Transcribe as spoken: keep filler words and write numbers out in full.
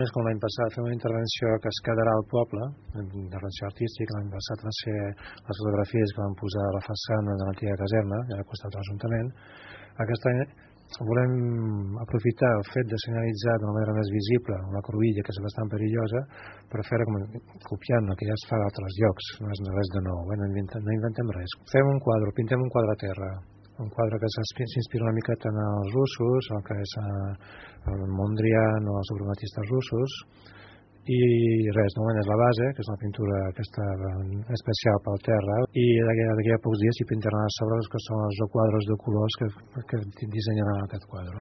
És com l'any passat, fem una intervenció que es quedarà al poble, una intervenció artística. L'any passat va ser les fotografies que vam posar a la façana de l'antiga caserna, ja al costat de l'Ajuntament. Aquest any volem aprofitar el fet de senyalitzar d'una manera més visible una cruïlla que és bastant perillosa, per fer-ho com copiant el que ja es fa a altres llocs, no és res de nou, eh? no, inventem, no inventem res. Fem un quadre, pintem un quadre a terra, un quadre que s'inspira una miqueta en els russos, el que és el Mondrian o els suprematistes russos, i res, de moment és la base, que és una pintura aquesta especial pel terra, i d'aquí a pocs dies s'hi pintaran a sobre els que són els quadres de colors que, que dissenyaran aquest quadre.